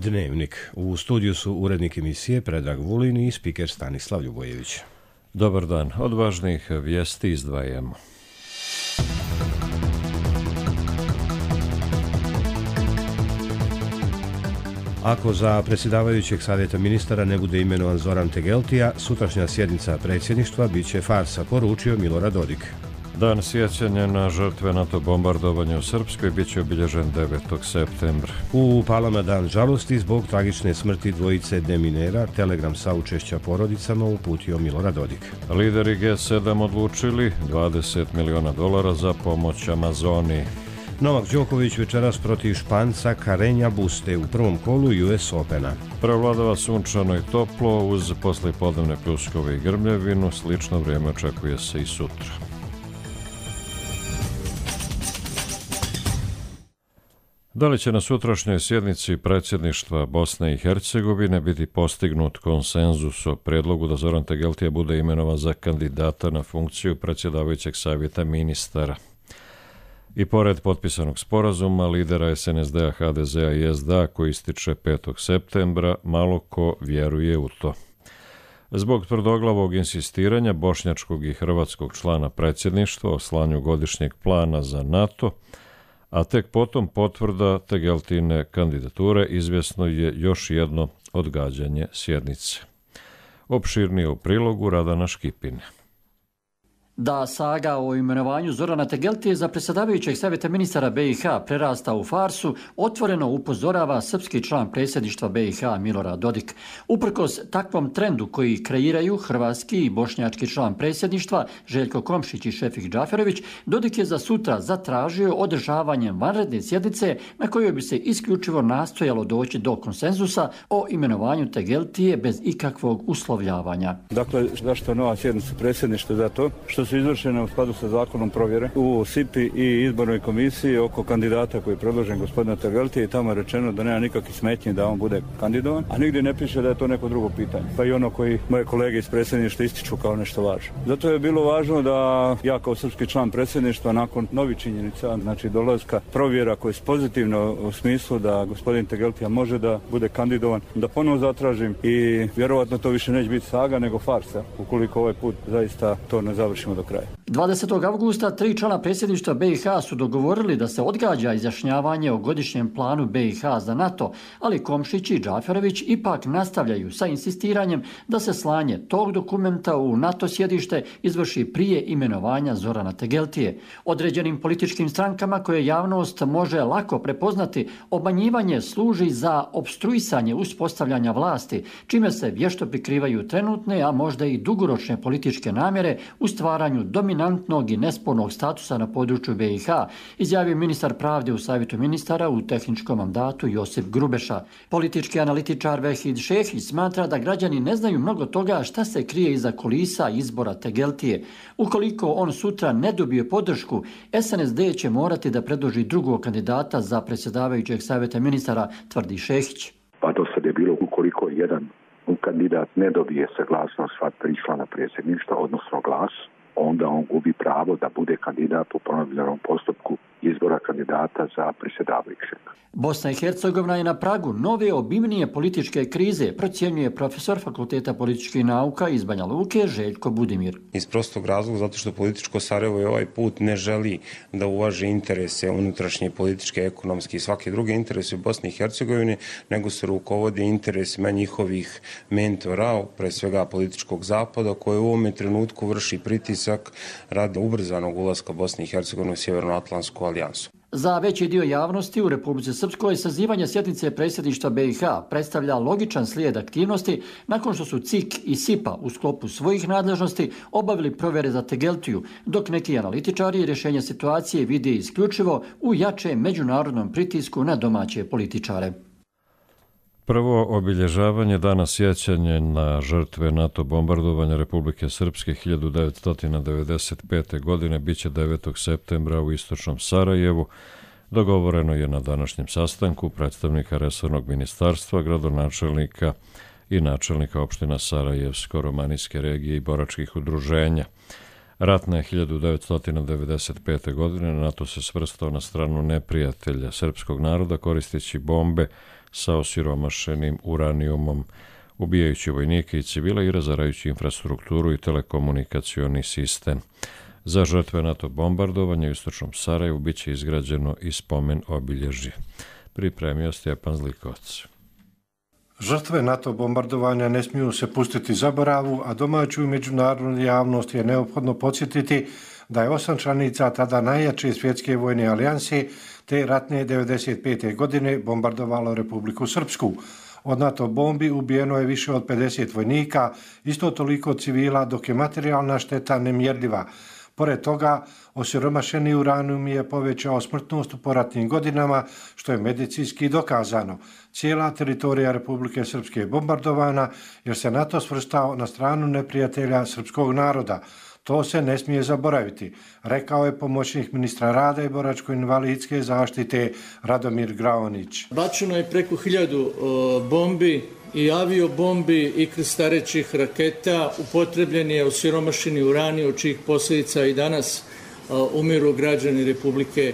Dnevnik. U studiju su urednik emisije Predrag Vulin i spiker Stanislav Ljubojević. Dobar dan. Od važnih vijesti izdvajamo. Ako za predsjedavajućeg savjeta ministara ne bude imenovan Zoran Tegeltija, sutrašnja sjednica predsjedništva bit će farsa, poručio Milorad Dodik. Dan sjećanja na žrtve NATO bombardovanja u Srpskoj bit će obilježen 9. septembra. U Palama dan žalosti zbog tragične smrti dvojice deminera, telegram saučešća porodicama uputio Milorad Dodik. Lideri G7 odlučili $20 miliona za pomoć Amazoniji. Novak Đoković večeras protiv Španca Carreña Buste u prvom kolu US Opena. Prevladava sunčano i toplo uz poslijepodnevne pljuskove i grmljevinu. Slično vrijeme očekuje se i sutra. Da li će na sutrašnjoj sjednici predsjedništva Bosne i Hercegovine biti postignut konsenzus o prijedlogu da Zoran Tegeltija bude imenovan za kandidata na funkciju predsjedavajućeg savjeta ministara? I pored potpisanog sporazuma lidera SNSD-a, HDZ-a i SDA koji ističe 5. septembra, malo ko vjeruje u to. Zbog tvrdoglavog insistiranja bošnjačkog i hrvatskog člana predsjedništva o slanju godišnjeg plana za NATO, a tek potom potvrda Tegeltine kandidature, izvjesno je još jedno odgađanje sjednice. Opširnije u prilogu Radana Škipine. Da saga o imenovanju Zorana Tegeltije za predsjedavajućeg savjeta ministara BiH prerasta u farsu, otvoreno upozorava srpski član predsjedništva BiH Milorad Dodik. Uprkos takvom trendu koji kreiraju hrvatski i bošnjački član predsjedništva Željko Komšić i Šefik Džaferović, Dodik je za sutra zatražio održavanjem vanredne sjednice na kojoj bi se isključivo nastojalo doći do konsenzusa o imenovanju Tegeltije bez ikakvog uslovljavanja. Dakle, zašto nova sjednica predsjedništva? Zato što su izvršene u skladu sa zakonom provjere u SIP-i i izbornoj komisiji oko kandidata koji je predložen gospodina Tegeltija i tamo je rečeno da nema nikakvih smetnji da on bude kandidovan, a nigdje ne piše da je to neko drugo pitanje. Pa i ono koji moje kolege iz predsjedništva ističu kao nešto važno. Zato je bilo važno da ja kao srpski član predsjedništva nakon novih činjenica, znači dolaska provjera koje je pozitivno u smislu da gospodin Tegeltija može da bude kandidovan, da ponovo zatražim i vjerovatno to više neće biti saga nego farsa ukoliko ovaj put zaista to ne završimo do kraja. 20. avgusta 3 člana predsjedništva BiH su dogovorili da se odgađa izjašnjavanje o godišnjem planu BiH za NATO, ali Komšić i Džaferović ipak nastavljaju sa insistiranjem da se slanje tog dokumenta u NATO sjedište izvrši prije imenovanja Zorana Tegeltije. Određenim političkim strankama koje javnost može lako prepoznati, obmanjivanje služi za opstruisanje uspostavljanja vlasti, čime se vješto prikrivaju trenutne, a možda i dugoročne političke namjere u stvaranju dominantnog i nespornog statusa na području BiH, izjavio ministar pravde u savjetu ministara u tehničkom mandatu Josip Grubeša. Politički analitičar Vehid Šehić smatra da građani ne znaju mnogo toga šta se krije iza kulisa izbora Tegeltije. Ukoliko on sutra ne dobije podršku, SNSD će morati da predloži drugog kandidata za predsjedavajućeg savjeta ministara, tvrdi Šehić. Pa do sad je bilo ukoliko jedan kandidat ne dobije saglasnost sva 3 člana predsjedništva, odnosno glas, onda on gubi pravo da bude kandidat u ponovljenom postupku izbora kandidata za predsjedavajućeg. Bosna i Hercegovina je na pragu nove obimnije političke krize, procjenjuje profesor Fakulteta političkih nauka iz Banja Luke Željko Budimir. Iz prostog razloga zato što političko Sarajevo je ovaj put ne želi da uvaži interese unutrašnje, političke, ekonomske i svake druge interese u Bosni i Hercegovini, nego se rukovode interesima njihovih mentora, pre svega političkog zapada, koje u ovome trenutku vrši pritisak radi ubrzanog ulaska Bosne i Hercegovine u Sjevernoatlantsku alijansu. Za veći dio javnosti u Republici Srpskoj sazivanje sjednice predsjedništva BiH predstavlja logičan slijed aktivnosti nakon što su CIK i SIPA u sklopu svojih nadležnosti obavili provjere za Tegeltiju, dok neki analitičari rješenje situacije vide isključivo u jačem međunarodnom pritisku na domaće političare. Prvo obilježavanje dana sjećanja na žrtve NATO bombardovanja Republike Srpske 1995. godine biće 9. septembra u istočnom Sarajevu. Dogovoreno je na današnjem sastanku predstavnika resornog ministarstva, gradonačelnika i načelnika opština Sarajevsko-Romanijske regije i boračkih udruženja. Ratne 1995. godine NATO se svrstao na stranu neprijatelja srpskog naroda koristeći bombe sa osiromašenim uranijumom, ubijajući vojnike i civile i razarajući infrastrukturu i telekomunikacioni sistem. Za žrtve NATO bombardovanja u istočnom Sarajevu bit će izgrađeno i spomen obilježje. Pripremio Stjepan Zlikovac. Žrtve NATO bombardovanja ne smiju se pustiti zaboravu, a domaću i međunarodnu javnost je neophodno podsjetiti da je 8 članica tada najjače svjetske vojne alijanse te ratne 95. godine bombardovalo Republiku Srpsku. Od NATO bombi ubijeno je više od 50 vojnika, isto toliko civila, dok je materijalna šteta nemjerljiva. Pored toga, osiromašeni uranijum je povećao smrtnost u poratnim godinama, što je medicinski dokazano. Cijela teritorija Republike Srpske je bombardovana jer se NATO svrstao na stranu neprijatelja srpskog naroda. To se ne smije zaboraviti, rekao je pomoćnik ministra rada i boračko-invalidske zaštite Radomir Graonić. Bačeno je preko 1000 bombi i aviobombi i krstarećih raketa, upotrebljen je osiromašeni uranij, od čijih posljedica i danas umiru građani Republike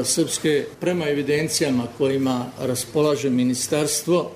Srpske. Prema evidencijama kojima raspolaže ministarstvo,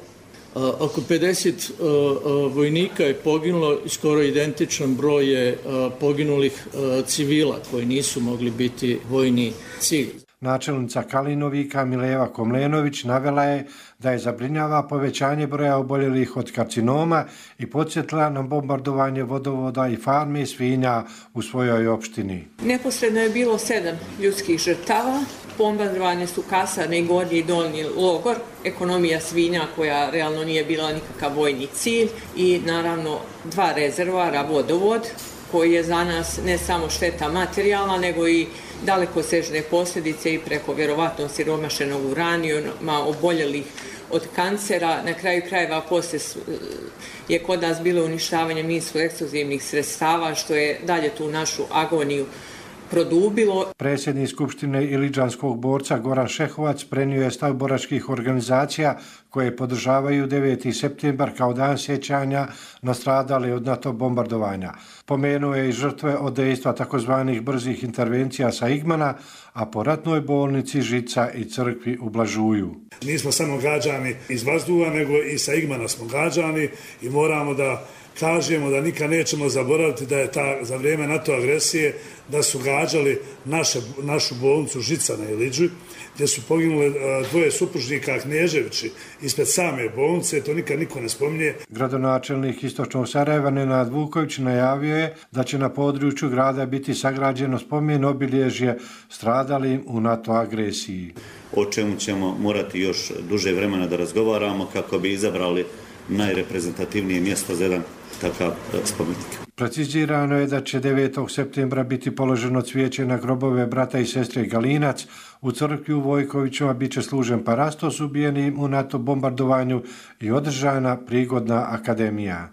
oko 50 vojnika je poginulo i skoro identičan broj je poginulih civila koji nisu mogli biti vojni cilj. Načelnica Kalinovika Mileva Komlenović navela je da je zabrinjava povećanje broja oboljelih od karcinoma i podsjetila na bombardovanje vodovoda i farme svinja u svojoj opštini. Neposredno je bilo 7 ljudskih žrtava. Bombardovane su kasarne, gornji i dolnji logor, ekonomija svinja koja realno nije bila nikakav vojni cilj i naravno 2 rezervoara, vodovod koji je za nas ne samo šteta materijalna nego i dalekosežne posljedice i preko vjerovatno siromašenog uranijuma, oboljelih od kancera. Na kraju krajeva poslije je kod nas bilo uništavanje minsko-eksplozivnih sredstava što je dalje tu našu agoniju produbilo. Predsjednik Skupštine ilidžanskog borca Goran Šehovac prenio je stav boračkih organizacija koje podržavaju 9. septembar kao dan sjećanja na stradale od NATO bombardovanja. Pomenuo je i žrtve od dejstva takozvanih brzih intervencija sa Igmana, a po ratnoj bolnici Žica i crkvi u Blažuju. Nismo samo gađani iz vazduha, nego i sa Igmana smo gađani i moramo da kažemo da nikad nećemo zaboraviti da je za vrijeme NATO agresije da su gađali našu bolnicu Žica na Iliđu, gdje su poginule 2 supružnika Knježevići ispred same bolnice, to nikad niko ne spominje. Gradonačelnik istočnog Sarajeva Nenad Vuković najavio je da će na području grada biti sagrađeno spomen obilježje stradalim u NATO agresiji. O čemu ćemo morati još duže vremena da razgovaramo kako bi izabrali najreprezentativnije mjesto za jedan takav spomenik. Precizirano je da će 9. septembra biti položeno cvijeće na grobove brata i sestre Galinac. U crkvi u Vojkovićima bit će služen parastos ubijenim u NATO bombardovanju i održana prigodna akademija.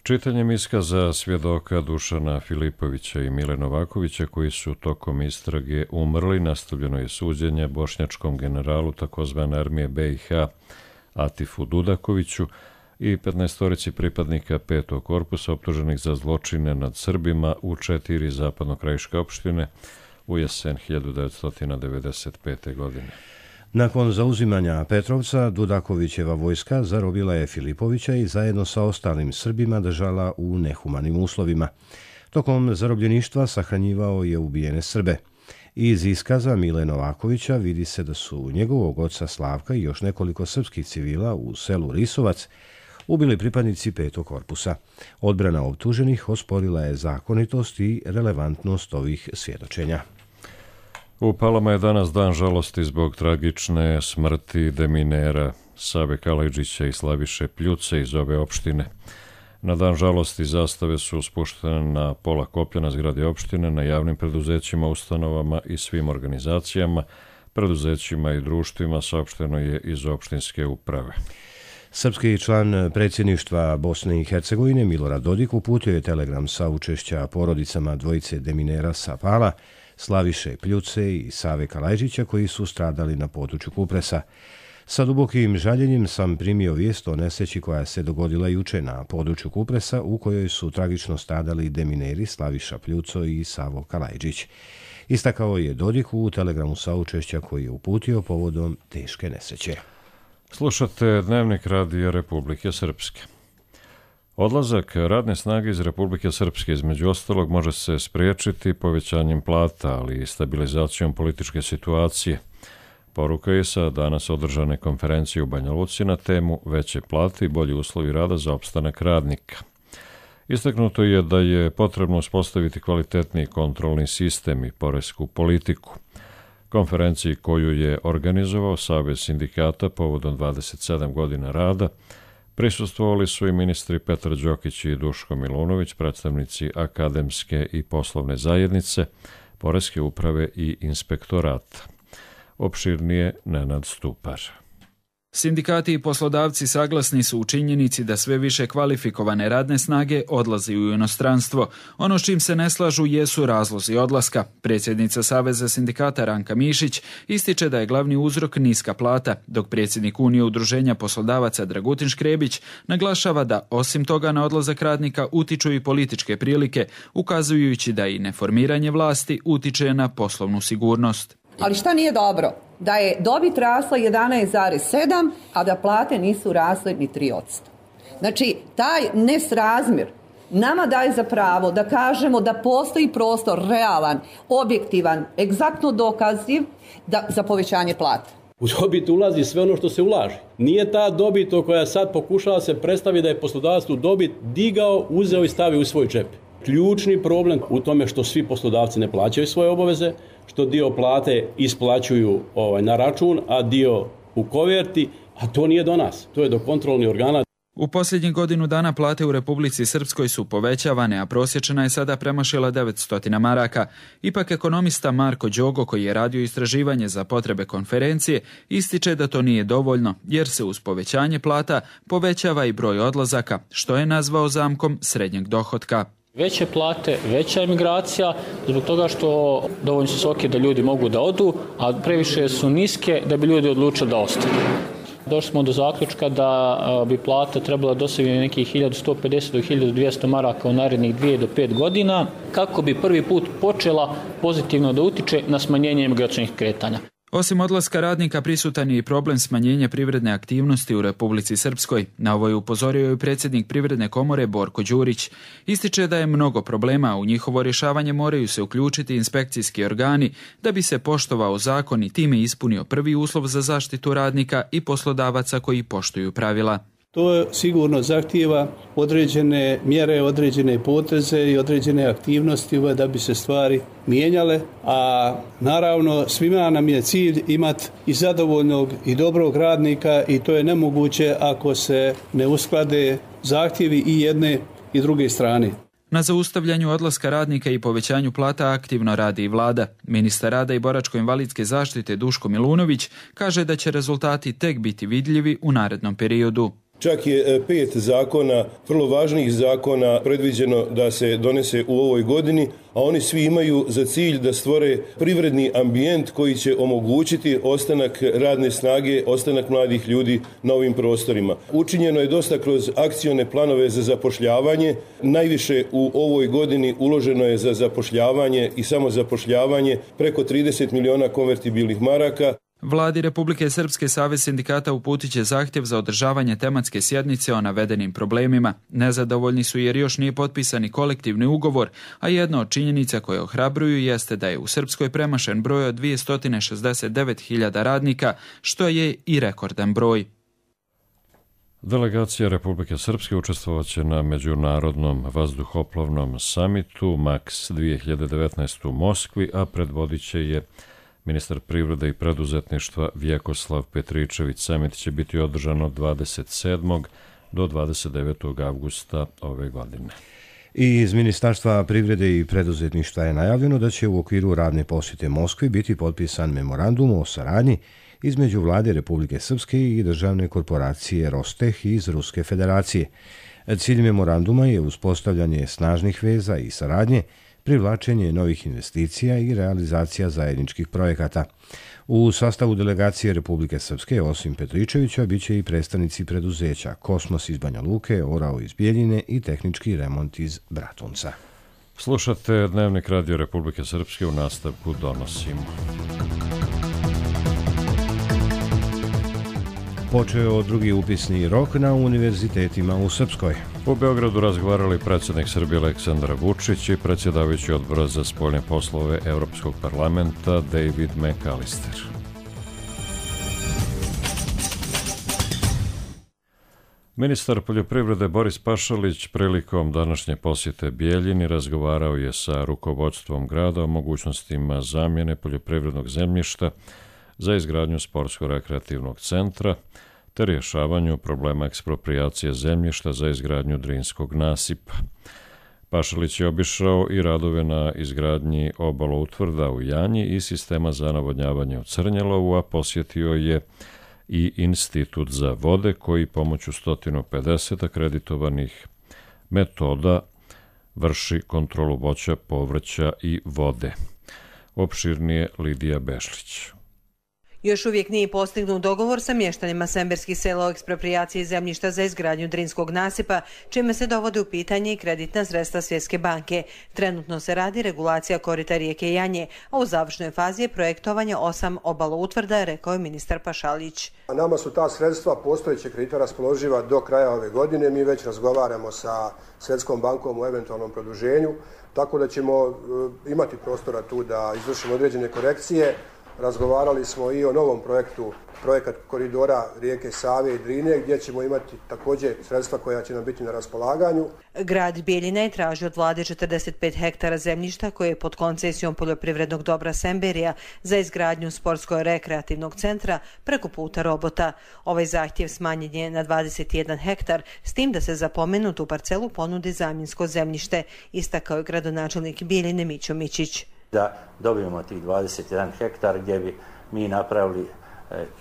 Čitanjem iskaza svjedoka Dušana Filipovića i Mile Novakovića koji su tokom istrage umrli, nastavljeno je suđenje bošnjačkom generalu takozvane armije BiH Atifu Dudakoviću i 15 pripadnika 5. korpusa optuženih za zločine nad Srbima u 4 zapadnokrajiške opštine u jesen 1995. godine. Nakon zauzimanja Petrovca, Dudakovićeva vojska zarobila je Filipovića i zajedno sa ostalim Srbima držala u nehumanim uslovima. Tokom zarobljeništva sahranjivao je ubijene Srbe. Iz iskaza Mile Novakovića vidi se da su njegovog oca Slavka i još nekoliko srpskih civila u selu Risovac ubili pripadnici 5. korpusa. Odbrana optuženih osporila je zakonitost i relevantnost ovih svjedočenja. U Palama je danas dan žalosti zbog tragične smrti deminera Save Kalajđića i Slaviše Pljuce iz ove opštine. Na dan žalosti zastave su spuštene na pola koplja na zgradi opštine, na javnim preduzećima, ustanovama i svim organizacijama, preduzećima i društvima, saopšteno je iz opštinske uprave. Srpski član predsjedništva Bosne i Hercegovine Milorad Dodik uputio je telegram sa učešća porodicama dvojice deminera sa Pala, Slaviše Pljuce i Save Kalajđića koji su stradali na području Kupresa. Sa dubokim žaljenjem sam primio vijest o nesreći koja se dogodila juče na području Kupresa, u kojoj su tragično stradali demineri Slaviša Pljuco i Savo Kalajđić. Istakao je Dodik u telegramu saučešća koji je uputio povodom teške nesreće. Slušate Dnevnik Radija Republike Srpske. Odlazak radne snage iz Republike Srpske između ostalog može se spriječiti povećanjem plata, ali i stabilizacijom političke situacije. Poruka je sa danas održane konferencije u Banja Luci na temu veće plate i bolji uslovi rada za opstanak radnika. Istaknuto je da je potrebno uspostaviti kvalitetni kontrolni sistem i poresku politiku. Konferenciji koju je organizovao Savez sindikata povodom 27 godina rada prisustvovali su i ministri Petar Đokić i Duško Milunović, predstavnici akademske i poslovne zajednice, poreske uprave i inspektorata. Opširnije Nenad Stupar. Sindikati i poslodavci saglasni su u činjenici da sve više kvalifikovane radne snage odlazi u inostranstvo. Ono s čim se ne slažu jesu razlozi odlaska. Predsjednica Saveza sindikata Ranka Mišić ističe da je glavni uzrok niska plata, dok predsjednik Unije udruženja poslodavaca Dragutin Škrebić naglašava da osim toga na odlazak radnika utiču i političke prilike, ukazujući da i neformiranje vlasti utiče na poslovnu sigurnost. Ali šta nije dobro? Da je dobit rasla 11,7, a da plate nisu rasle ni 3%. Znači, taj nesrazmjer nama daje za pravo da kažemo da postoji prostor realan, objektivan, egzaktno dokaziv za povećanje plata. U dobit ulazi sve ono što se ulaže. Nije ta dobit o koja sad pokušava se predstaviti da je poslodavac tu dobit digao, uzeo i stavio u svoj džep. Ključni problem u tome što svi poslodavci ne plaćaju svoje obaveze, što dio plate isplaćuju na račun, a dio u koverti, a to nije do nas, to je do kontrolnih organa. U posljednjih godinu dana plate u Republici Srpskoj su povećavane, a prosječna je sada premašila 900 maraka. Ipak ekonomista Marko Đogo, koji je radio istraživanje za potrebe konferencije, ističe da to nije dovoljno, jer se uz povećanje plata povećava i broj odlazaka, što je nazvao zamkom srednjeg dohotka. Veće plate, veća emigracija, zbog toga što dovoljno su visoke da ljudi mogu da odu, a previše su niske da bi ljudi odlučili da ostanu. Došli smo do zaključka da bi plata trebala dosegnuti nekih 1150 do 1200 maraka u narednih 2 do 5 godina, kako bi prvi put počela pozitivno da utiče na smanjenje emigračnih kretanja. Osim odlaska radnika prisutan je i problem smanjenja privredne aktivnosti u Republici Srpskoj. Na ovo je upozorio i predsjednik Privredne komore Borko Đurić. Ističe da je mnogo problema, a u njihovo rješavanje moraju se uključiti inspekcijski organi da bi se poštovao zakon i time ispunio prvi uslov za zaštitu radnika i poslodavaca koji poštuju pravila. To sigurno zahtijeva određene mjere, određene poteze i određene aktivnosti da bi se stvari mijenjale, a naravno svima nam je cilj imati i zadovoljnog i dobrog radnika i to je nemoguće ako se ne usklade zahtjevi i jedne i druge strane. Na zaustavljanju odlaska radnika i povećanju plata aktivno radi i vlada. Ministar rada i boračko-invalidske zaštite Duško Milunović kaže da će rezultati tek biti vidljivi u narednom periodu. Čak je 5 zakona, vrlo važnih zakona, predviđeno da se donese u ovoj godini, a oni svi imaju za cilj da stvore privredni ambijent koji će omogućiti ostanak radne snage, ostanak mladih ljudi na ovim prostorima. Učinjeno je dosta kroz akcione planove za zapošljavanje. Najviše u ovoj godini uloženo je za zapošljavanje i samozapošljavanje preko 30 miliona konvertibilnih maraka. Vladi Republike Srpske Savez sindikata uputit će zahtjev za održavanje tematske sjednice o navedenim problemima. Nezadovoljni su jer još nije potpisani kolektivni ugovor, a jedna od činjenica koje ohrabruju jeste da je u Srpskoj premašen broj od 269.000 radnika, što je i rekordan broj. Delegacija Republike Srpske učestvovaće na Međunarodnom vazduhoplovnom samitu MAX 2019 u Moskvi, a predvodit će je ministar privrede i preduzetništva Vjekoslav Petričević. Samit će biti održan od 27. do 29. avgusta ove godine. I iz Ministarstva privrede i preduzetništva je najavljeno da će u okviru radne posjete Moskvi biti potpisan memorandum o saradnji između vlade Republike Srpske i državne korporacije Rosteh iz Ruske federacije. Cilj memoranduma je uspostavljanje snažnih veza i saradnje privlačenje novih investicija i realizacija zajedničkih projekata. U sastavu delegacije Republike Srpske, osim Petričevića, bit će i predstavnici preduzeća Kosmos iz Banja Luke, Orao iz Bijeljine i Tehnički remont iz Bratunca. Slušate Dnevnik Radio Republike Srpske, u nastavku donosimo. Počeo drugi upisni rok na univerzitetima u Srpskoj. U Beogradu razgovarali predsjednik Srbije Aleksandar Vučić i predsjedavajući odbora za spoljne poslove Europskog parlamenta David McAllister. Ministar poljoprivrede Boris Pašalić prilikom današnje posjete Bijeljini razgovarao je sa rukovodstvom grada o mogućnostima zamjene poljoprivrednog zemljišta za izgradnju sportsko-rekreativnog centra te rješavanju problema eksproprijacije zemljišta za izgradnju Drinskog nasipa. Pašalić je obišao i radove na izgradnji obaloutvrda u Janji i sistema za navodnjavanje u Crnjelovu, a posjetio je i Institut za vode koji pomoću 150 akreditovanih metoda vrši kontrolu voća, povrća i vode. Opširnije Lidija Bešlić. Još uvijek nije postignut dogovor sa mještanima semberskih sela o eksproprijaciji zemljišta za izgradnju Drinskog nasipa, čime se dovode u pitanje i kreditna sredstva Svjetske banke. Trenutno se radi regulacija korita rijeke Janje, a u završnoj fazi je projektovanje 8 obaloutvrda, rekao je ministar Pašalić. Nama su ta sredstva postojećeg kredita raspoloživa do kraja ove godine. Mi već razgovaramo sa Svjetskom bankom o eventualnom produženju, tako da ćemo imati prostora tu da izvršimo određene korekcije. Razgovarali smo i o novom projektu, projekat koridora rijeke Save i Drine, gdje ćemo imati također sredstva koja će nam biti na raspolaganju. Grad Bijeljina je tražio od vlade 45 hektara zemljišta koje je pod koncesijom poljoprivrednog dobra Semberija za izgradnju sportsko-rekreativnog centra preko puta Robota. Ovaj zahtjev smanjen je na 21 hektar, s tim da se za pomenutu parcelu ponudi zamjensko zemljište, istakao je gradonačelnik Bijeljine Mićo Mićić. Da dobijemo tih 21 hektar gdje bi mi napravili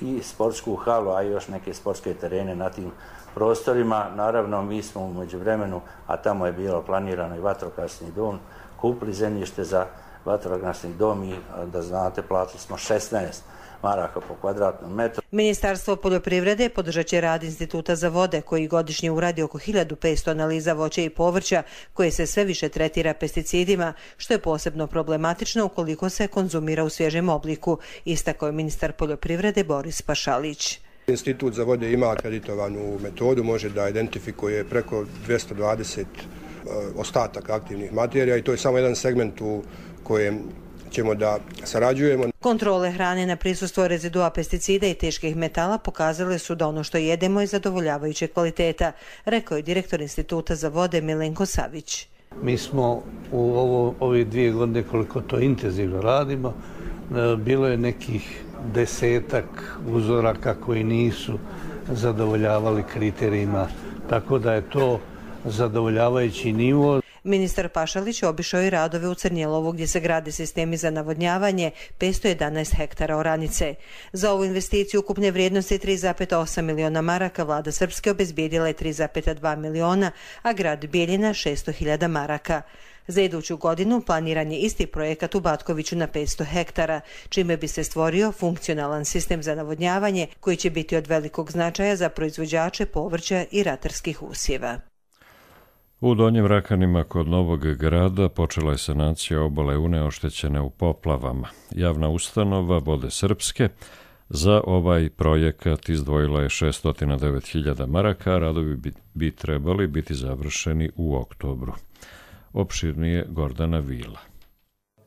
i sportsku halu, a i još neke sportske terene na tim prostorima. Naravno, mi smo u međuvremenu, a tamo je bilo planirano i vatrogasni dom, kupili zemljište za vatrogasni dom i da znate, platili smo 16 maraka po kvadratnom metru. Ministarstvo poljoprivrede podržat će rad Instituta za vode, koji godišnje uradi oko 1500 analiza voća i povrća, koje se sve više tretira pesticidima, što je posebno problematično ukoliko se konzumira u svježem obliku, istakao je ministar poljoprivrede Boris Pašalić. Institut za vode ima akreditovanu metodu, može da identifikuje preko 220 ostataka aktivnih materija i to je samo jedan segment u kojem ćemo da sarađujemo. Kontrole hrane na prisustvo rezidua pesticida i teških metala pokazale su da ono što jedemo je zadovoljavajuće kvaliteta, rekao je direktor Instituta za vode Milenko Savić. Mi smo u ove 2 godine koliko to intenzivno radimo, bilo je nekih 10 uzoraka koji nisu zadovoljavali kriterijima, tako da je to zadovoljavajući nivo. Ministar Pašalić obišao i radove u Crnjelovu gdje se grade sistemi za navodnjavanje 511 hektara oranice. Za ovu investiciju ukupne vrijednosti 3,8 miliona maraka vlada Srpske obezbijedila je 3,2 miliona, a grad Bijeljina 600.000 maraka. Za iduću godinu planiran je isti projekat u Batkoviću na 500 hektara, čime bi se stvorio funkcionalan sistem za navodnjavanje koji će biti od velikog značaja za proizvođače povrća i ratarskih usjeva. U Donjim Rakanima kod Novog Grada počela je sanacija obale Une oštećene u poplavama. Javna ustanova Vode Srpske za ovaj projekat izdvojila je 609.000 maraka, a radovi bi trebali biti završeni u oktobru. Opširnije Gordana Vila.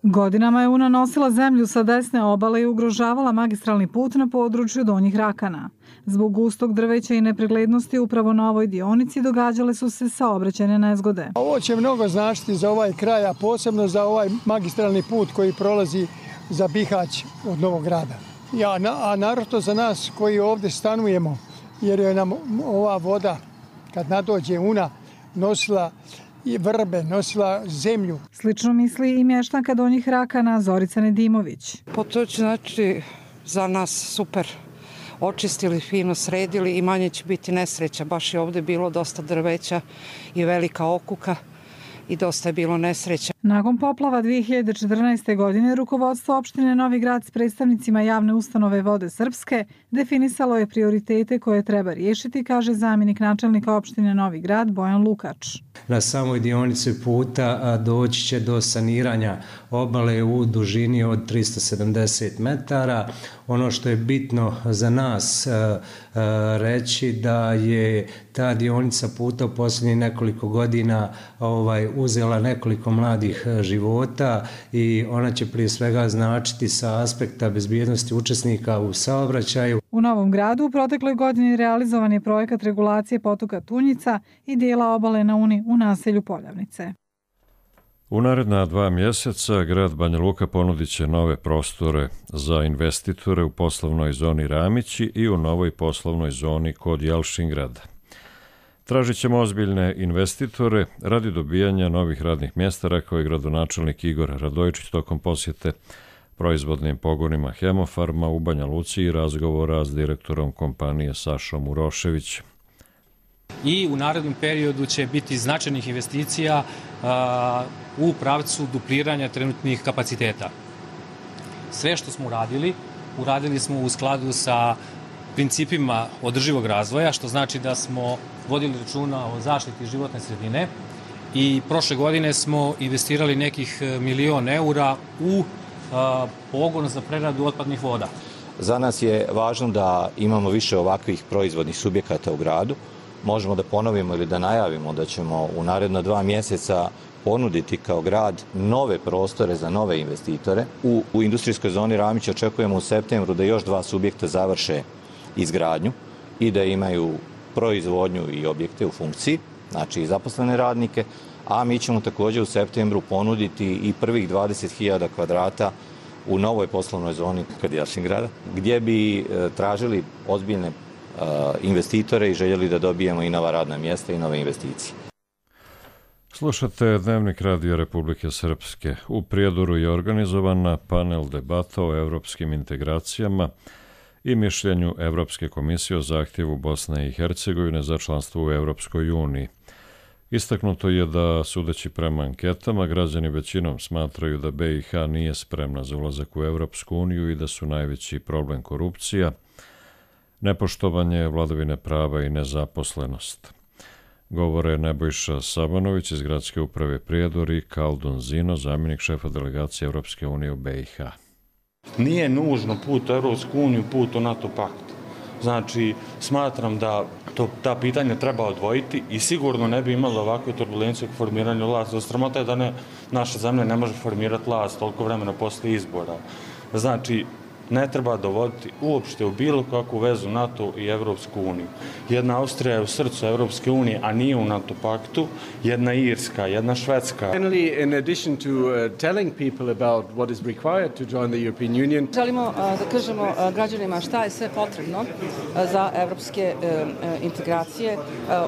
Godinama je Una nosila zemlju sa desne obale i ugrožavala magistralni put na području Donjih Rakana. Zbog gustog drveća i nepreglednosti upravo na ovoj dionici događale su se saobraćajne nezgode. Ovo će mnogo značiti za ovaj kraj, a posebno za ovaj magistralni put koji prolazi za Bihać od Novog Grada. A naročito za nas koji ovdje stanujemo, jer je nam ova voda, kad nadođe Una, nosila i vrbe, nosila zemlju. Slično misli i mještanka Donjih Rakana Zorica Nedimović. To će znači za nas super. Očistili, fino sredili i manje će biti nesreća. Baš je ovdje bilo dosta drveća i velika okuka i dosta je bilo nesreća. Nakon poplava 2014. godine, rukovodstvo opštine Novi Grad s predstavnicima javne ustanove Vode Srpske definisalo je prioritete koje treba riješiti, kaže zamjenik načelnika opštine Novi Grad Bojan Lukač. Na samoj dionici puta doći će do saniranja obale u dužini od 370 metara. Ono što je bitno za nas reći da je ta dionica puta u posljednjih nekoliko godina uzela nekoliko mladih života i ona će prije svega značiti sa aspekta bezbjednosti učesnika u saobraćaju. U Novom Gradu u protekloj godini realizovan je projekat regulacije potoka Tunjica i dijela obale na Uni u naselju Poljavnice. U naredna 2 mjeseca grad Banja Luka ponudit će nove prostore za investitore u poslovnoj zoni Ramići i u novoj poslovnoj zoni kod Jalšingrada. Tražit ćemo ozbiljne investitore radi dobijanja novih radnih mjesta, rekao je gradonačelnik Igor Radojičić tokom posjete proizvodnim pogonima Hemofarma u Banja Luci i razgovora s direktorom kompanije Sašom Uroševićem. I u narednom periodu će biti značajnih investicija u pravcu dupliranja trenutnih kapaciteta. Sve što smo uradili smo u skladu sa principima održivog razvoja, što znači da smo vodili računa o zaštiti životne sredine i prošle godine smo investirali nekih 1.000.000 eura u pogon za preradu otpadnih voda. Za nas je važno da imamo više ovakvih proizvodnih subjekata u gradu. Možemo da ponovimo ili da najavimo da ćemo u naredno 2 mjeseca ponuditi kao grad nove prostore za nove investitore. U industrijskoj zoni Ramić očekujemo u septembru da još 2 subjekta završe izgradnju i da imaju proizvodnju i objekte u funkciji, znači i zaposlene radnike, a mi ćemo također u septembru ponuditi i prvih 20.000 kvadrata u novoj poslovnoj zoni kod Jalšingrada, gdje bi tražili ozbiljne investitore i željeli da dobijemo i nova radna mjesta i nove investicije. Slušate Dnevnik Radio Republike Srpske. U Prijedoru je organizovana panel debata o evropskim integracijama i mišljenju Evropske komisije o zahtjevu Bosne i Hercegovine za članstvo u Evropskoj uniji. Istaknuto je da, sudeći prema anketama, građani većinom smatraju da BiH nije spremna za ulazak u Evropsku uniju i da su najveći problem korupcija, nepoštovanje vladavine prava i nezaposlenost. Govore Nebojša Sabanović iz Gradske uprave Prijedor i Kaldun Zino, zamjenik šefa delegacije Evropske unije u BiH. Nije nužno put u Evropsku uniju, put u NATO pakt. Znači, smatram da ta pitanja treba odvojiti i sigurno ne bi imalo ovakve turbulencije u formiranju vlasti. Sramota je da naša zemlja ne može formirati vlast toliko vremena posle izbora. Znači, ne treba dovoditi uopšte u bilo kakvu vezu NATO i Evropsku uniju. Jedna Austrija je u srcu Evropske unije, a nije u NATO paktu, jedna Irska, jedna Švedska. Finally, in addition to telling people about what is required to join the European Union, želimo da kažemo građanima šta je sve potrebno za evropske integracije.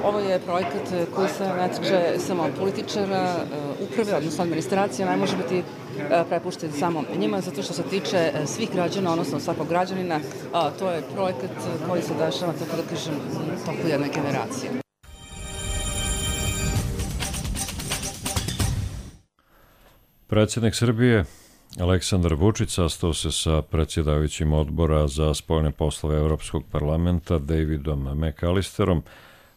Ovo je projekat koji se ne tiče samo političara, uprave, odnosno administracija, ne može biti prepušten samo njima, zato što se tiče svih građana, odnosno svakog građanina. To je projekat koji se dešava, tako da kažem, toku jedne generacije. Predsjednik Srbije Aleksandar Vučić sastao se sa predsjedavajućim odbora za spoljne poslove Evropskog parlamenta Davidom McAllisterom,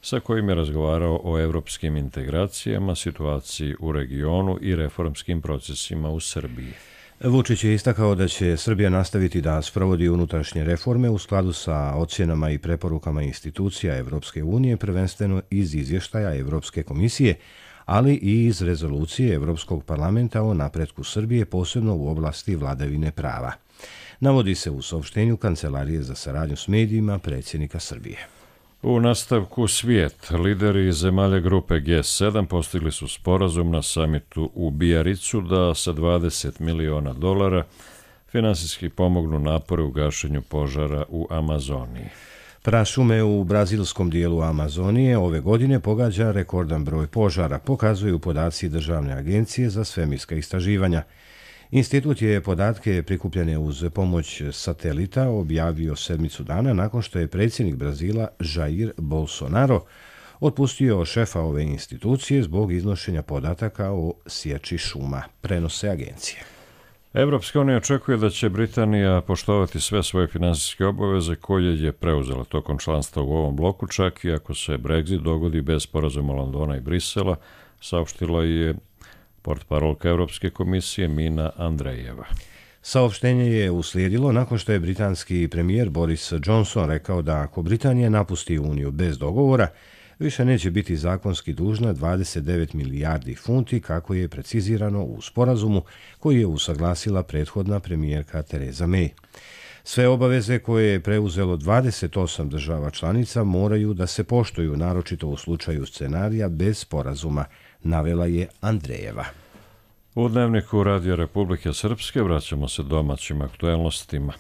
sa kojim je razgovarao o evropskim integracijama, situaciji u regionu i reformskim procesima u Srbiji. Vučić je istakao da će Srbija nastaviti da sprovodi unutrašnje reforme u skladu sa ocjenama i preporukama institucija Evropske unije, prvenstveno iz izvještaja Evropske komisije, ali i iz rezolucije Evropskog parlamenta o napretku Srbije, posebno u oblasti vladavine prava. Navodi se u saopštenju Kancelarije za saradnju s medijima predsjednika Srbije. U nastavku svijet, lideri zemalja grupe G7 postigli su sporazum na samitu u Bijaricu da sa $20 miliona finansijski pomognu napore u gašenju požara u Amazoniji. Prašume u brazilskom dijelu Amazonije ove godine pogađa rekordan broj požara, pokazuju podaci Državne agencije za svemirska istraživanja. Institut je podatke prikupljene uz pomoć satelita objavio 7 dana nakon što je predsjednik Brazila Jair Bolsonaro otpustio šefa ove institucije zbog iznošenja podataka o sječi šuma, prenose agencije. Evropska unija očekuje da će Britanija poštovati sve svoje finansijske obaveze koje je preuzela tokom članstva u ovom bloku, čak i ako se Brexit dogodi bez sporazuma Londona i Brisela, saopštila je portparolka Evropske komisije Mina Andrejeva. Saopštenje je uslijedilo nakon što je britanski premijer Boris Johnson rekao da ako Britanija napusti Uniju bez dogovora, više neće biti zakonski dužna 29 milijardi funti kako je precizirano u sporazumu koji je usaglasila prethodna premijerka Theresa May. Sve obaveze koje je preuzelo 28 država članica moraju da se poštuju, naročito u slučaju scenarija bez sporazuma, navela je Andrejeva. U Dnevniku Radija Republike Srpske vraćamo se domaćim aktuelnostima.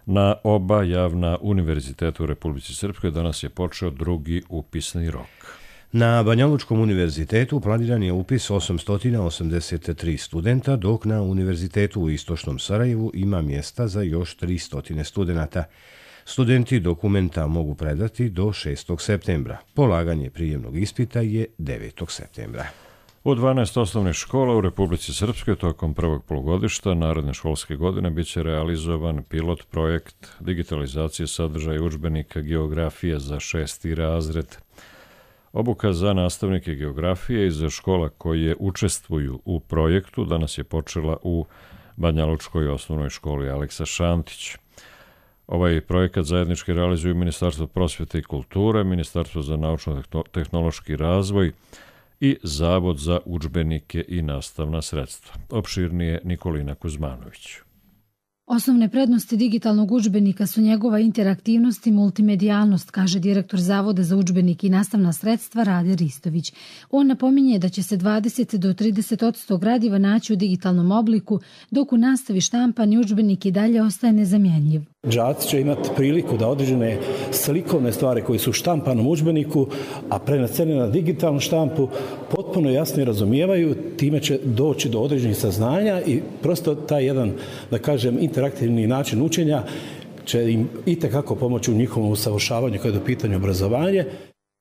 Na oba javna univerziteta u Republici Srpskoj danas je počeo drugi upisni rok. Na Banjalučkom univerzitetu planiran je upis 883 studenta, dok na Univerzitetu u Istočnom Sarajevu ima mjesta za još 300 studenata. Studenti dokumenta mogu predati do 6. septembra. Polaganje prijemnog ispita je 9. septembra. U 12 osnovnih škola u Republici Srpskoj tokom prvog polugodišta naredne školske godine biće realizovan pilot projekt digitalizacije sadržaja udžbenika geografije za 6. razred. Obuka za nastavnike geografije i za škola koje učestvuju u projektu danas je počela u Banjalučkoj osnovnoj školi Aleksa Šantić. Ovaj projekat zajednički realizuju Ministarstvo prosvjete i kulture, Ministarstvo za naučno-tehnološki razvoj i Zavod za udžbenike i nastavna sredstva. Opširnije Nikolina Kuzmanović. Osnovne prednosti digitalnog udžbenika su njegova interaktivnost i multimedijalnost, kaže direktor Zavoda za udžbenike i nastavna sredstva Rade Ristović. On napominje da će se 20 do 30% gradiva naći u digitalnom obliku, dok u nastavi štampani udžbenik i dalje ostaje nezamjenjiv. Đaci će imati priliku da određene slikovne stvari koje su u štampanom udžbeniku, a prenesene na digitalnu štampu, potpuno jasno razumijevaju, time će doći do određenih saznanja i prosto taj jedan, da kažem, interaktivni način učenja će im itekako pomoći u njihovom usavršavanju kada je u pitanju obrazovanje.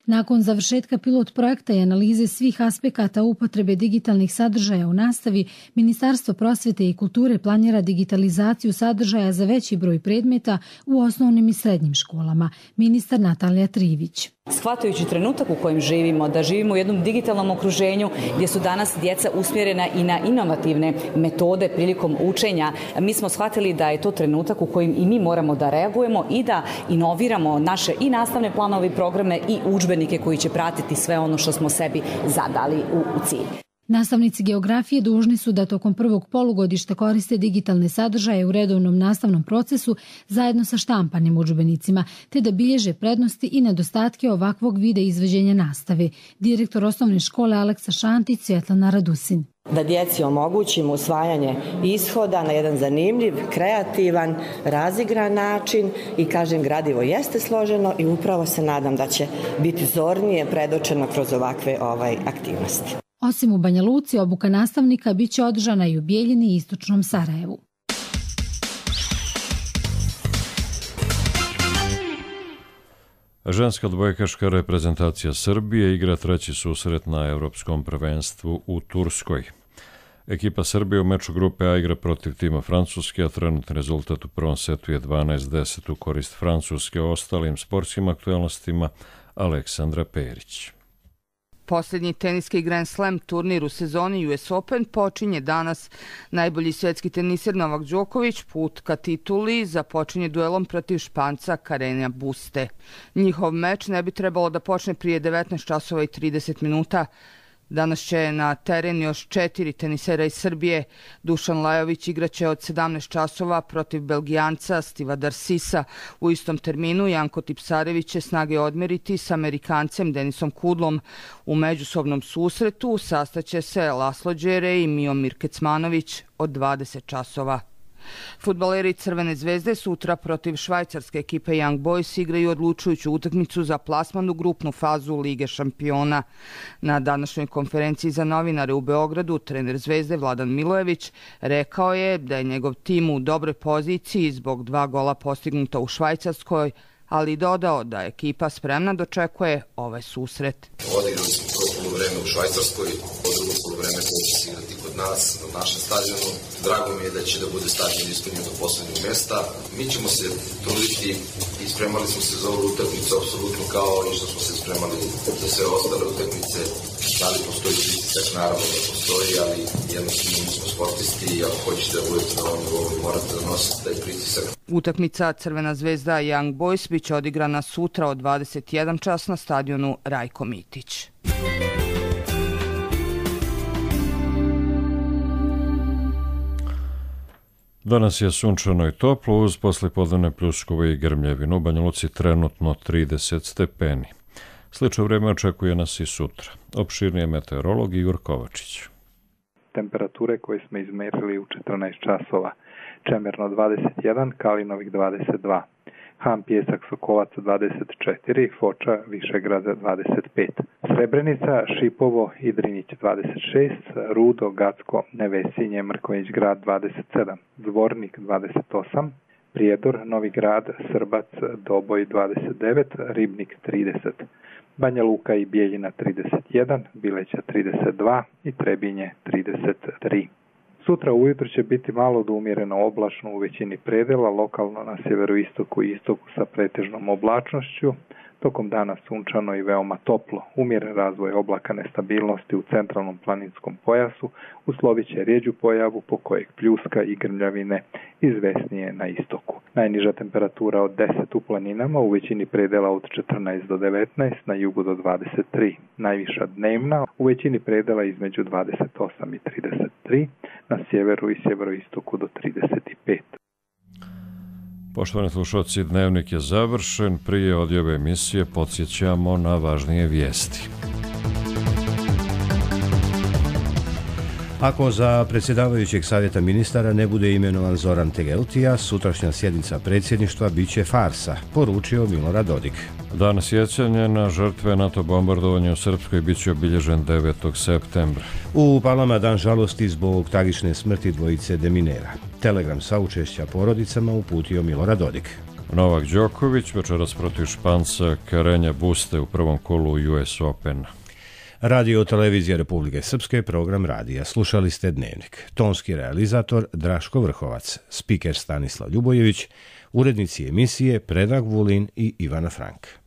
Nakon završetka pilot projekta i analize svih aspekata upotrebe digitalnih sadržaja u nastavi, Ministarstvo prosvjete i kulture planira digitalizaciju sadržaja za veći broj predmeta u osnovnim i srednjim školama. Ministar Natalija Trivić. Shvatajući trenutak u kojem živimo, da živimo u jednom digitalnom okruženju gdje su danas djeca usmjerena i na inovativne metode prilikom učenja, mi smo shvatili da je to trenutak u kojem i mi moramo da reagujemo i da inoviramo naše i nastavne planove i programe i udžbenike koji će pratiti sve ono što smo sebi zadali u cilj. Nastavnici geografije dužni su da tokom prvog polugodišta koriste digitalne sadržaje u redovnom nastavnom procesu zajedno sa štampanim udžbenicima, te da bilježe prednosti i nedostatke ovakvog vida izvođenja nastave. Direktor osnovne škole Aleksa Šantić, Svjetlana Radusin. Da djeci omogućimo usvajanje ishoda na jedan zanimljiv, kreativan, razigran način i kažem, gradivo jeste složeno i upravo se nadam da će biti zornije predočeno kroz ovakve aktivnosti. Osim u Banja Luci, obuka nastavnika bit će održana i u Bijeljini i Istočnom Sarajevu. Ženska odbojkaška reprezentacija Srbije igra treći susret na Evropskom prvenstvu u Turskoj. Ekipa Srbije u meču grupe A igra protiv tima Francuske, a trenutni rezultat u prvom setu je 12-10 u korist Francuske. O ostalim sportskim aktualnostima Aleksandra Perić. Posljednji teniski Grand Slam turnir u sezoni US Open počinje danas. Najbolji svjetski teniser Novak Đoković put ka tituli započinje duelom protiv Španca Carreña Buste. Njihov meč ne bi trebalo da počne prije 19 časova i 30 minuta. Danas će na teren još 4 tenisera iz Srbije. Dušan Lajović igraće od 17 časova protiv Belgijanca Stiva Darsisa. U istom terminu Janko Tipsarević će snage odmeriti s Amerikancem Denisom Kudlom. U međusobnom susretu sastaće se Laslo Đere i Miomir Kecmanović od 20 časova. Fudbaleri Crvene zvezde sutra protiv švajcarske ekipe Young Boys igraju odlučujuću utakmicu za plasman u grupnu fazu Lige šampiona. Na današnjoj konferenciji za novinare u Beogradu trener Zvezde Vladan Milojević rekao je da je njegov tim u dobroj poziciji zbog 2 gola postignuta u Švajcarskoj, ali dodao da ekipa spremna dočekuje ovaj susret. Odigrali smo prvo poluvreme u Švajcarskoj, drugo poluvreme koje će se igrati kod nas na našem stadionu. Drago mi je da će da bude stadion ispunjen do poslednjeg mesta. Mi ćemo se truditi i spremali smo se za ovu utakmicu apsolutno kao i što smo se spremali za sve ostale utakmice. Da li postoji pritisak? Naravno da postoji, ali jednostavno mi smo sportisti i ako hoćete da budete na ovom nivou, morate da nosite taj pritisak. Utakmica Crvena zvezda Young Boys biće odigrana sutra od 21 čas na stadionu Rajko Mitić. Danas je sunčano i toplo uz poslijepodnevne pljuskove i grmljevinu. U Banja Luci trenutno 30 stepeni. Slično vrijeme očekuje nas i sutra. Opširnije meteorolog Igor Kovačić. Temperature koje smo izmerili u 14 časova. Čemerno 21, Kalinovik 22. Han Pjesak Sokolac 24, Foča Višegrada 25. Srebrenica, Šipovo, Idrinić 26, Rudo, Gacko, Nevesinje, Mrković grad 27, Zvornik 28, Prijedor, Novi grad, Srbac, Doboj 29, Ribnik 30, Banja Luka i Bijeljina 31, Bileća 32 i Trebinje 33. Sutra ujutro će biti malo do umjereno oblačno u većini predela, lokalno na sjeveroistoku i istoku sa pretežnom oblačnošću, tokom dana sunčano i veoma toplo. Umjeren razvoj oblaka nestabilnosti u centralnom planinskom pojasu uslovit će rjeđu pojavu po kojeg pljuska i grmljavine izvesnije na istoku. Najniža temperatura od 10 u planinama, u većini predela od 14 do 19, na jugu do 23. Najviša dnevna, u većini predela između 28 i 33, na sjeveru i sjeveroistoku do 35. Poštovani slušalci, dnevnik je završen. Prije odjave emisije podsjećamo na važnije vijesti. Ako za predsjedavajućeg savjeta ministara ne bude imenovan Zoran Tegeltija, sutrašnja sjednica predsjedništva biće farsa, poručio Milorad Dodik. Dan sjećanja na žrtve NATO bombardovanja u Srpskoj biće obilježen 9. septembra. U Palama dan žalosti zbog tragične smrti dvojice deminera. Telegram saučešća porodicama uputio Milorad Dodik. Novak Đoković večeras protiv Španca Carreña Buste u prvom kolu US Open. Radio televizija Republike Srpske, program radija. Slušali ste Dnevnik. Tonski realizator Draško Vrhovac, spiker Stanislav Ljubojević, urednici emisije Predrag Vulin i Ivana Frank.